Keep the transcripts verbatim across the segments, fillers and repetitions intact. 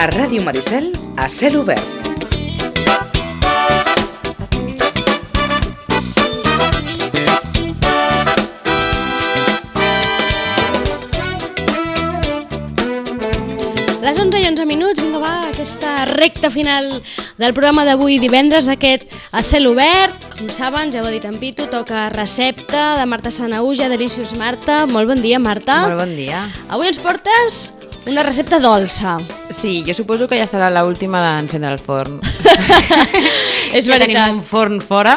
A Ràdio Maricel, a cel obert. Les onze i onze minuts, vinga va, aquesta recta final del programa d'avui divendres, aquest a cel obert. Com saben, ja ho ha dit en Pitu, toca recepta de Marta Sanahuja, Delicious Marta. Molt bon dia, Marta. Molt bon dia. Avui ens portes una recepta dolça. Sí, jo suposo que ja serà l'última d'encendre el forn. És ja veritat. tenim un forn fora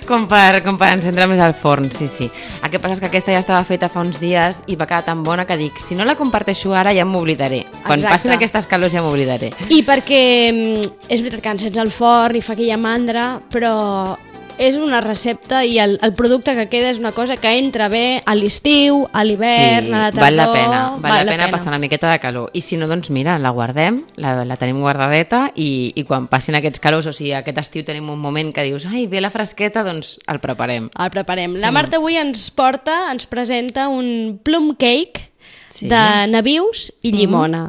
com per, com per encendre més el forn, sí, sí. El que passa és que aquesta ja estava feta fa uns dies i va quedar tan bona que dic, si no la comparteixo ara ja m'oblidaré. Quan Exacte. passin aquestes calors ja m'oblidaré. I perquè mm, és veritat que encens el forn i fa aquella mandra, però és una recepta i el, el producte que queda és una cosa que entra bé a l'estiu, a l'hivern, Sí, a la tardor. val la pena, val, val la, la pena, pena passar una miqueta de calor. I si no, doncs mira, la guardem, la, la tenim guardadeta i, i quan passin aquests calors, o sigui, aquest estiu tenim un moment que dius, ai, ve la fresqueta, doncs el preparem. El preparem. La Marta avui ens porta, ens presenta un plum cake Sí. de nabius i llimona.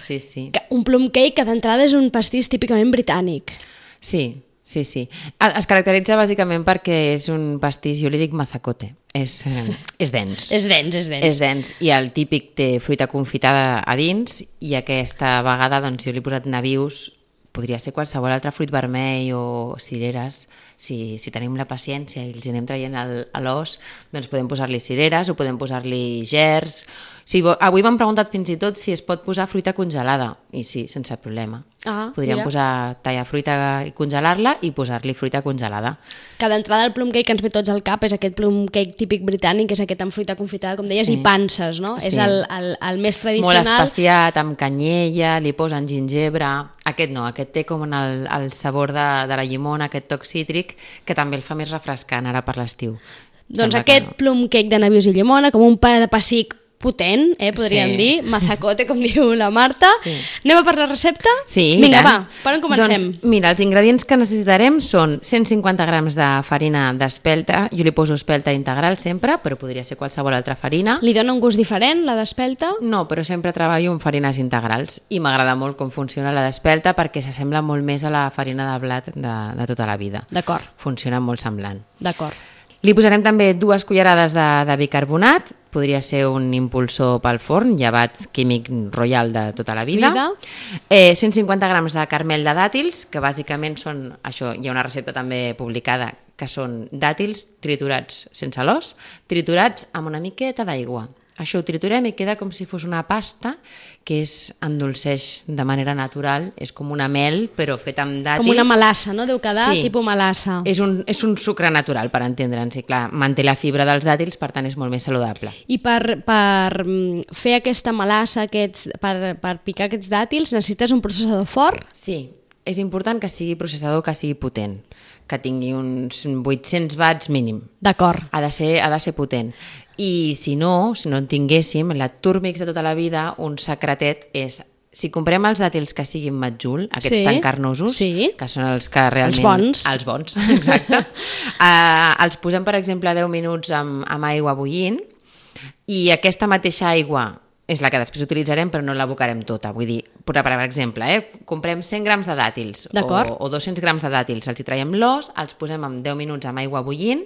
Sí, sí. Que- Un plum cake que d'entrada és un pastís típicament britànic. Sí, sí, sí. Ah, Es caracteritza bàsicament perquè és un pastís, jo li dic mazacote, és, eh, és dens. És dens, és dens. És dens i el típic té fruita confitada a dins i aquesta vegada doncs, jo li he posat nabius, podria ser qualsevol altre fruit vermell o cireres, si, si tenim la paciència i els anem traient el- a l'os, doncs podem posar-li cireres o podem posar-li gers. Si vo- avui m'han preguntat fins i tot si es pot posar fruita congelada, i sí, sense problema. Ah, Podríem mira. posar tallar fruita i congelar-la i posar-li fruita congelada. Que d'entrada el plum cake que ens ve tots al cap és aquest plum cake típic britànic, és aquest amb fruita confitada, com deies, Sí. i panses, no? Sí. És el, el, el més Molt tradicional. especiat, amb canyella, li posen gingebre. Aquest no, aquest té com el, el sabor de, de la llimona, aquest toc cítric, que també el fa més refrescant ara per l'estiu. Doncs Sembla que aquest no. plum cake de nabius i llimona, com un pa de pessic potent, eh, podríem Sí. dir, mazacote, com diu la Marta. Sí. Anem a per la recepta? Sí, Vinga, i tant. va, per on comencem? Doncs, mira, els ingredients que necessitarem són cent cinquanta grams de farina d'espelta. Jo li poso espelta integral sempre, però podria ser qualsevol altra farina. Li dona un gust diferent, la d'espelta? No, però sempre treballo amb farines integrals i m'agrada molt com funciona la d'espelta perquè s'assembla molt més a la farina de blat de, de tota la vida. D'acord, Funciona molt semblant. d'acord. Li posarem també dues cullerades de, de bicarbonat, podria ser un impulsor pel forn, llevat químic royal de tota la vida. Vida. Eh, cent cinquanta grams de carmel de dàtils, que bàsicament són, això hi ha una recepta també publicada, que són dàtils triturats sense l'os, triturats amb una miqueta d'aigua. Això ho triturem i queda com si fos una pasta que es endolceix de manera natural, és com una mel però feta amb dàtils. Com una melassa, no? Deu quedar Sí. tipus melassa. És un, és un sucre natural, per entendre'ns, i clar, manté la fibra dels dàtils, per tant és molt més saludable. I per, per mm, fer aquesta melassa, aquests, per, per picar aquests dàtils, necessites un processador fort? Sí, és important que sigui processador, que sigui potent, que tingui uns vuit-cents watts mínim. D'acord. Ha de ser, ha de ser potent. I si no, si no en tinguéssim, la Turmix de tota la vida, un secretet és, si comprem els dàtils que siguin matjul, aquests Sí, tan carnosos, sí. que són els que realment... Els bons. Els bons, exacte. uh, els posem, per exemple, deu minuts amb, amb aigua bullint i aquesta mateixa aigua és la que després utilitzarem, però no l'abocarem tota. Vull dir, per, per exemple, eh, comprem cent grams de dàtils o, D'acord. o dos-cents grams de dàtils, els hi traiem l'os, els posem amb deu minuts amb aigua bullint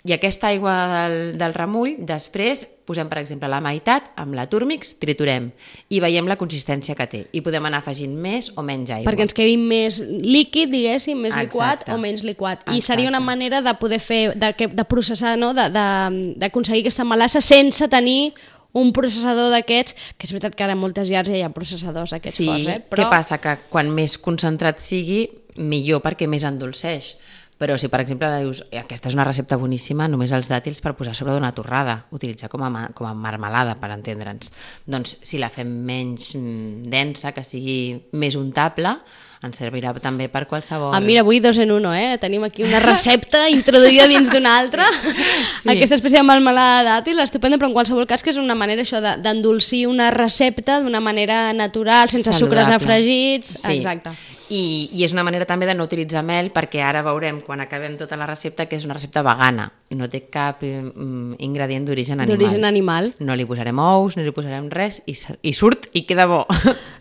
i aquesta aigua del, del remull després posem, per exemple, la meitat amb la Turmix, triturem i veiem la consistència que té i podem anar afegint més o menys aigua. Perquè ens quedi més líquid, diguéssim, més Exacte. liquat o menys liquat. I Exacte. seria una manera de poder fer, de, que- de processar, no? de, de, d'aconseguir aquesta melassa sense tenir un processador d'aquests, que és veritat que ara en moltes llars ja hi ha processadors d'aquests Sí, forts, eh? què passa? Que quan més concentrat sigui, millor perquè més endolceix. Però si, per exemple, dius, aquesta és una recepta boníssima, només els dàtils per posar sobre d'una torrada, utilitzar com a, ma- com a marmelada, per entendre'ns. Doncs si la fem menys mm, densa, que sigui més untable, ens servirà també per qualsevol... Ah, mira, avui dos en uno, eh? Tenim aquí una recepta introduïda dins d'una altra. Sí. Aquesta espècie de melmelada de dàtil, estupenda, però en qualsevol cas que és una manera això de- d'endolcir una recepta d'una manera natural, sense sucres Saludable. afregits. Sí. Exacte. I, i és una manera també de no utilitzar mel, perquè ara veurem, quan acabem tota la recepta, que és una recepta vegana. No té cap mm, ingredient d'origen animal. D'origen animal. No li posarem ous, no li posarem res, i, i surt i queda bo.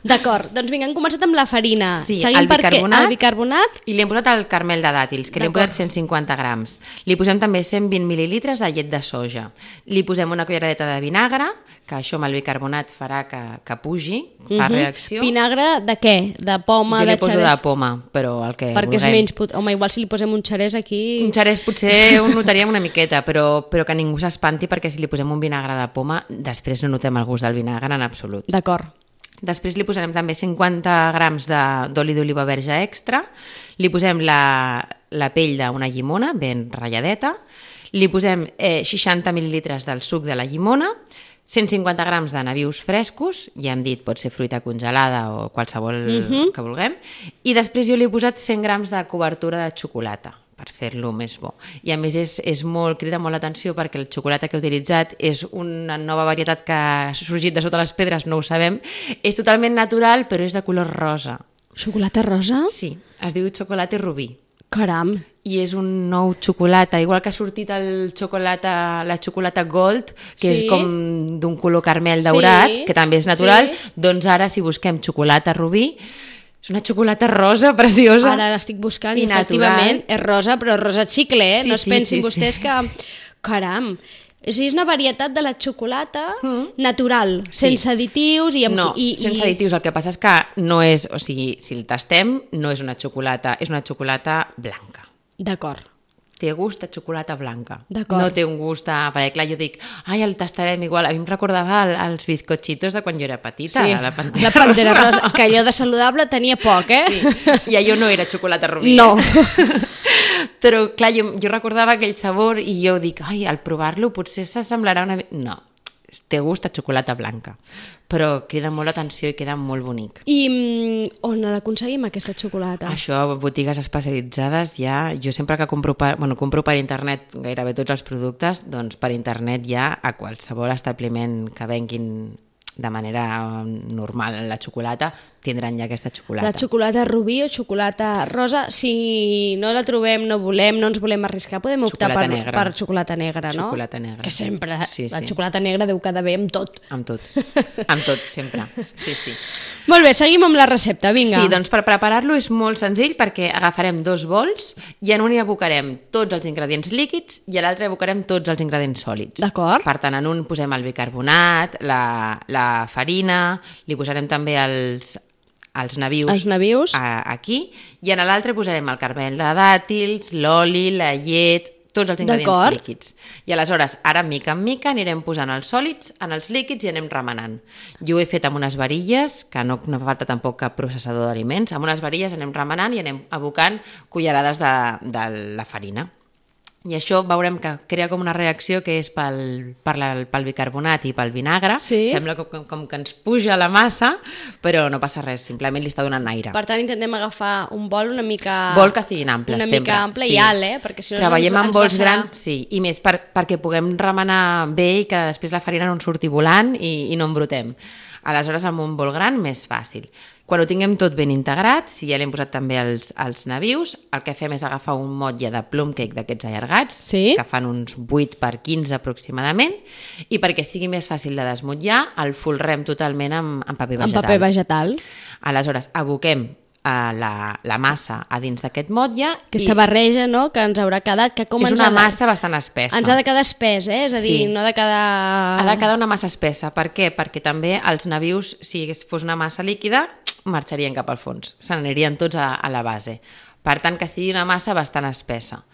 D'acord, doncs vinga, hem començat amb la farina. Sí, Seguim el bicarbonat, el bicarbonat. I li hem posat el carmel de dàtils, que li hem posat cent cinquanta grams. Li posem també cent vint mil·lilitres de llet de soja. Li posem una culleradeta de vinagre, que això amb el bicarbonat farà que, que pugi, fa uh-huh. reacció. Vinagre de què? De poma, jo de li poso xerès? de poma, però el que perquè vulguem. És menys pot... Home, igual si li posem un xerès aquí... Un xerès potser ho notaríem una miqueta, però, però que ningú s'espanti, perquè si li posem un vinagre de poma, després no notem el gust del vinagre en absolut. D'acord. Després li posarem també cinquanta grams d'oli d'oliva verge extra, li posem la, la pell d'una llimona ben ratlladeta, li posem eh, seixanta mil·lilitres del suc de la llimona, cent cinquanta grams de nabius frescos, ja hem dit, pot ser fruita congelada o qualsevol uh-huh. que vulguem, i després jo li he posat cent grams de cobertura de xocolata, per fer-lo més bo. I a més és, és molt, crida molt l'atenció perquè el xocolata que he utilitzat és una nova varietat que ha sorgit de sota les pedres, no ho sabem, és totalment natural però és de color rosa. Xocolata rosa? Sí, es diu xocolata rubí. Caram! I és un nou xocolata, igual que ha sortit el xocolata, la xocolata gold, que sí. és com d'un color carmel daurat, sí. que també és natural, sí. doncs ara si busquem xocolata rubí, és una xocolata rosa preciosa. Ara l'estic buscant i, i efectivament és rosa, però rosa xicle, eh? Sí, no es sí, pensin sí, vostès sí. que... Caram! O sigui, és una varietat de la xocolata mm. natural, sí. sense additius i... Amb... No, i, sense i... additius. El que passa és que no és... O sigui, si el tastem, no és una xocolata, és una xocolata blanca. D'acord. Té gust a xocolata blanca. D'acord. No té un gust a... Perquè clar, jo dic, ai, el tastarem igual. A mi em recordava el, els bizcochitos de quan jo era petita, sí. la Pantera, la Pantera rosa. rosa. Que allò de saludable tenia poc, eh? Sí, i allò no era xocolata rubí. No. Però clar, jo, jo recordava aquell sabor i jo dic, ai, al provar-lo potser s'assemblarà una... No, té gust a xocolata blanca, però crida molt l'atenció i queda molt bonic. I mm, on l'aconseguim, aquesta xocolata? Això, botigues especialitzades ja, jo sempre que compro per, bueno, compro per internet gairebé tots els productes, doncs per internet ja a qualsevol establiment que venguin de manera normal la xocolata, tindran ja aquesta xocolata. La xocolata rubí o xocolata rosa, si no la trobem, no volem, no ens volem arriscar, podem optar per, per xocolata negra, no? Xocolata negra. Que sempre, sí, la sí. xocolata negra deu quedar bé amb tot. Amb tot, amb tot, sempre. Sí, sí. Molt bé, seguim amb la recepta, vinga. Sí, doncs per preparar-lo és molt senzill perquè agafarem dos bols i en un hi abocarem tots els ingredients líquids i a l'altre hi abocarem tots els ingredients sòlids. D'acord. Per tant, en un posem el bicarbonat, la, la farina, li posarem també els, els nabius, els nabius. A, aquí, i en l'altre posarem el carmel de dàtils, l'oli, la llet, tots els ingredients líquids. I aleshores, ara mica en mica anirem posant els sòlids en els líquids i anem remenant. Jo ho he fet amb unes varilles, que no, no fa falta tampoc cap processador d'aliments, amb unes varilles anem remenant i anem abocant cullerades de, de la farina. I això veurem que crea com una reacció que és pel, per la, pel bicarbonat i pel vinagre. Sí. Sembla com, com que ens puja la massa, però no passa res, simplement li està donant aire. Per tant, intentem agafar un bol una mica... Bol que siguin amples, una sempre. Una mica ample sí. i alt, eh? Perquè si no treballem ens, amb ens bols passarà... grans, sí, i més per, perquè puguem remenar bé i que després la farina no ens surti volant i, i no embrutem. Aleshores, amb un bol gran, més fàcil. Quan ho tinguem tot ben integrat, si ja l'hem posat també els, els nabius, el que fem és agafar un motlle de plum cake d'aquests allargats, sí? que fan uns vuit per quinze aproximadament, i perquè sigui més fàcil de desmotllar, el folrem totalment amb, amb paper vegetal. Amb paper vegetal. Aleshores, aboquem Uh, la, la massa a dins d'aquest motlle. Aquesta i... barreja, no?, que ens haurà quedat... Que com és ens una ha de... massa bastant espessa. Ens ha de quedar espès, eh? És a dir, sí. no ha de quedar... Ha de quedar una massa espessa. Per què? Perquè també els nabius, si fos una massa líquida, marxarien cap al fons. Se n'anirien tots a, a la base. Per tant, que sigui una massa bastant espessa.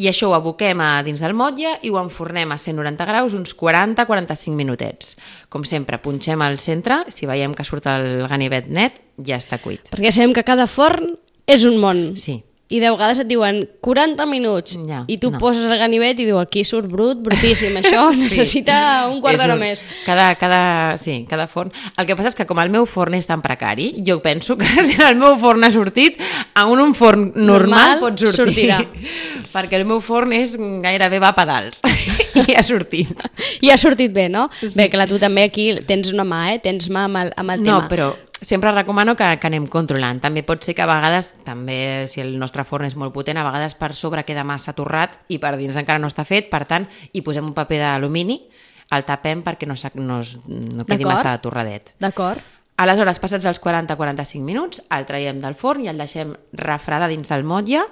I això ho aboquem a dins del motlle i ho enfornem a cent noranta graus uns quaranta a quaranta-cinc minutets. Com sempre, punxem al centre, si veiem que surt el ganivet net, ja està cuit. Perquè sabem que cada forn és un món. Sí. I de vegades et diuen quaranta minuts ja, i tu no. poses el ganivet i diu aquí surt brut, brutíssim, això sí. necessita un quart d'hora un... més. Cada, cada, sí, cada forn. El que passa és que com el meu forn és tan precari, jo penso que si el meu forn ha sortit, a un, un forn normal, normal pot sortir. Sortirà. Perquè el meu forn és gairebé va a pedals i ha sortit. I ha sortit bé, no? Sí. Bé, clar, tu també aquí tens una mà, eh? Tens mà amb el, amb el no, tema. Però, sempre recomano que, que anem controlant. També pot ser que a vegades, també si el nostre forn és molt potent, a vegades per sobre queda massa torrat i per dins encara no està fet, per tant, hi posem un paper d'alumini, el tapem perquè no, no, no quedi massa torradet. D'acord. Aleshores, passats els quaranta a quaranta-cinc minuts, el traiem del forn i el deixem refredar dins del motlle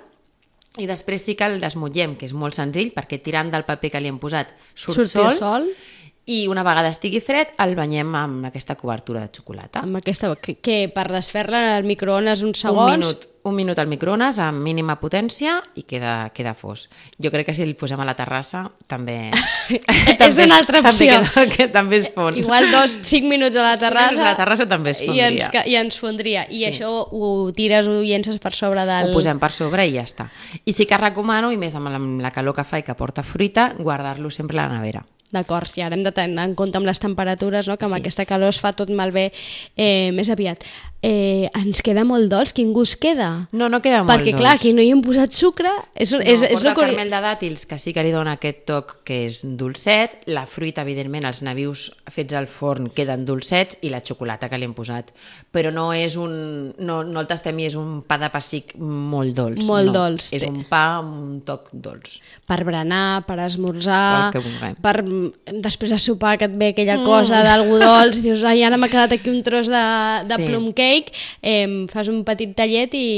i després sí que el desmotllem, que és molt senzill, perquè tirant del paper que li hem posat surt, surt sol, sol. I una vegada estigui fred el banyem amb aquesta cobertura de xocolata. Amb aquesta, que, que per desfer-la al microones uns segons... Un minut, un minut al microones amb mínima potència i queda, queda fos. Jo crec que si el posem a la terrassa també... és una altra opció. També, queda, que també es fon. Igual dos, cinc minuts a la terrassa... cinc minuts a la terrassa també es fondria. I ens, i ens fondria. I sí. Això ho tires, ho llences per sobre del... Ho posem per sobre i ja està. I sí que recomano, i més amb la, amb la calor que fa i que porta fruita, guardar-lo sempre a la nevera. D'acord, sí, ara hem de tenir en compte amb les temperatures, no? Que amb sí. aquesta calor es fa tot malbé eh, més aviat. Eh, ens queda molt dolç? Quin gust queda? No, no queda molt Perquè, dolç. Perquè clar, aquí no hi hem posat sucre. És, no, és, és porta el caramel de dàtils, que sí que li dona aquest toc que és dolcet, la fruita, evidentment, els nabius fets al forn queden dolcets i la xocolata que li hem posat. Però no és un... No, no el tastem i és un pa de pessic molt dolç. Molt no. dolç. És un pa amb un toc dolç. Per berenar, per esmorzar, per, per després de sopar que et ve aquella cosa mm. d'algú dolç i dius, ai, ara m'ha quedat aquí un tros de, de sí. plum cake, eh, fas un petit tallet i,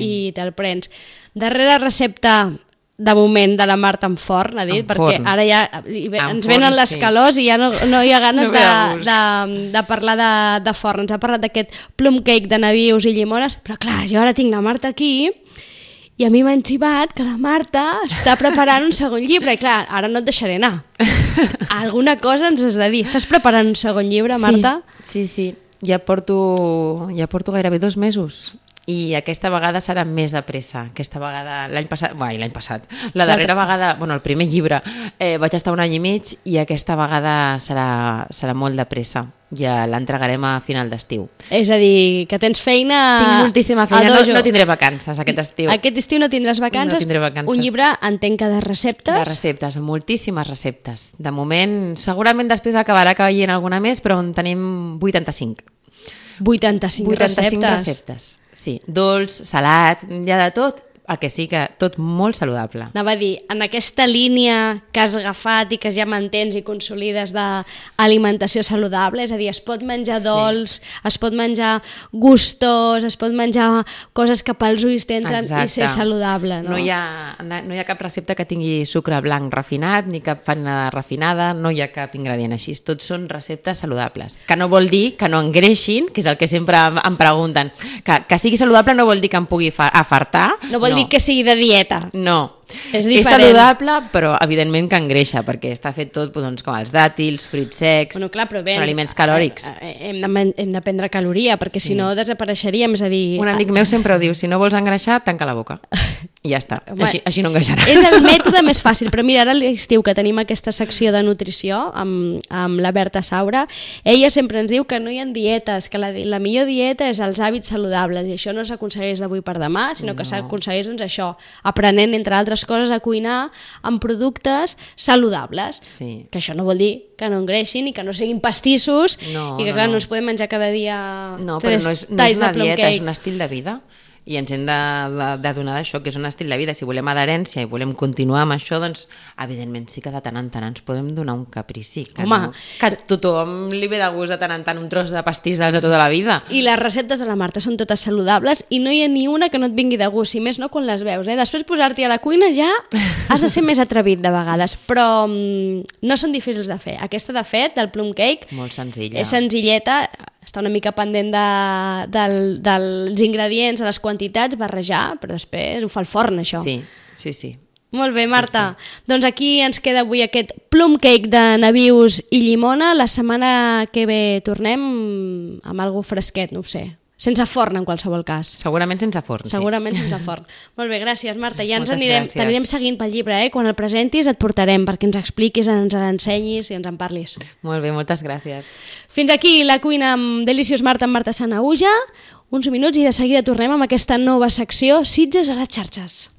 i te'l prens. Darrera recepta de moment de la Marta en forn, ha dit, en perquè forn. ara ja ens forn, venen les sí. calors i ja no, no hi ha ganes no de, de, de parlar de, de forn. Ens ha parlat d'aquest plum cake de nabius i llimones, però clar, jo ara tinc la Marta aquí i a mi m'ha enxivat que la Marta està preparant un segon llibre i clar, ara no et deixaré anar. Alguna cosa ens has de dir. Estàs preparant un segon llibre, Marta? Sí, sí, sí. Ja porto, ja porto gairebé dos mesos i aquesta vegada serà més de pressa. Aquesta vegada, l'any passat, bueno, l'any passat, la darrera vegada, bueno, el primer llibre, eh, vaig estar un any i mig i aquesta vegada serà, serà molt de pressa. Ja l'entregarem a final d'estiu. És a dir, que tens feina... Tinc moltíssima feina, no, no tindré vacances aquest estiu. Aquest estiu no tindràs vacances? No tindré vacances. Un llibre, entenc que de receptes? De receptes, moltíssimes receptes. De moment, segurament després acabarà caient alguna més, però en tenim vuitanta-cinc. vuitanta-cinc, vuitanta-cinc receptes. receptes. Sí, dolç, salat, hi ha de tot, el que sí que tot molt saludable. Anava a dir, en aquesta línia que has agafat i que ja mantens i consolides d'alimentació saludable, és a dir, es pot menjar sí. dolç, es pot menjar gustós, es pot menjar coses que pels ulls t'entren i ser saludable. No? No, hi ha, no hi ha cap recepta que tingui sucre blanc refinat, ni cap farina refinada, no hi ha cap ingredient així. Tots són receptes saludables. Que no vol dir que no engreixin, que és el que sempre em pregunten. Que, que sigui saludable no vol dir que em pugui afartar. No vol no. dir que sigui de dieta. No. És, és saludable, però evidentment que engreixa, perquè està fet tot doncs, com els dàtils, fruits secs, bueno, clar, bé, són aliments calòrics. Hem de, hem de prendre caloria, perquè sí. si no desapareixeríem, és a dir... Un amic meu sempre ho diu, si no vols engreixar, tanca la boca. I ja està, Home, així, així no engreixaràs. És el mètode més fàcil, però mira, ara a l'estiu que tenim aquesta secció de nutrició amb, amb la Berta Saura, ella sempre ens diu que no hi ha dietes, que la, la millor dieta és els hàbits saludables, i això no s'aconsegueix d'avui per demà, sinó que no. s'aconsegueix doncs, això, aprenent, entre altres coses, a cuinar amb productes saludables. Sí. Que això no vol dir que no engreixin i que no siguin pastissos no, i que no, clar, no. no ens podem menjar cada dia no, tres però no és, no talls és una de plum dieta, cake. És un estil de vida. I ens hem de, de, de donar d'això, que és un estil de vida. Si volem adherència i volem continuar amb això, doncs, evidentment, sí que de tant en tant ens podem donar un caprici. Que, Home, no, que a tothom li ve de gust de tant en tant un tros de pastís de tota la vida. I les receptes de la Marta són totes saludables i no hi ha ni una que no et vingui de gust, si més no quan les veus. Eh? Després posar-t'hi a la cuina ja has de ser més atrevit de vegades, però mm, no són difícils de fer. Aquesta, de fet, del plum cake, molt senzilla. És senzilleta, està una mica pendent de, del, dels ingredients, de les quantitats, barrejar, però després ho fa el forn, això. Sí, sí, sí. Molt bé, Marta. Sí, sí. Doncs aquí ens queda avui aquest plum cake de nabius i llimona. La setmana que ve tornem amb algo fresquet, no ho sé. Sense forn, en qualsevol cas. Segurament sense forn, Segurament sí. sense forn. Molt bé, gràcies, Marta. Ja ens Moltes anirem, gràcies. t'anirem seguint pel llibre, eh? Quan el presentis et portarem perquè ens expliquis, ens l'ensenyis i ens en parlis. Molt bé, moltes gràcies. Fins aquí la cuina amb Delicious Marta amb Marta Sanahuja. Uns minuts i de seguida tornem amb aquesta nova secció Sitges a les xarxes.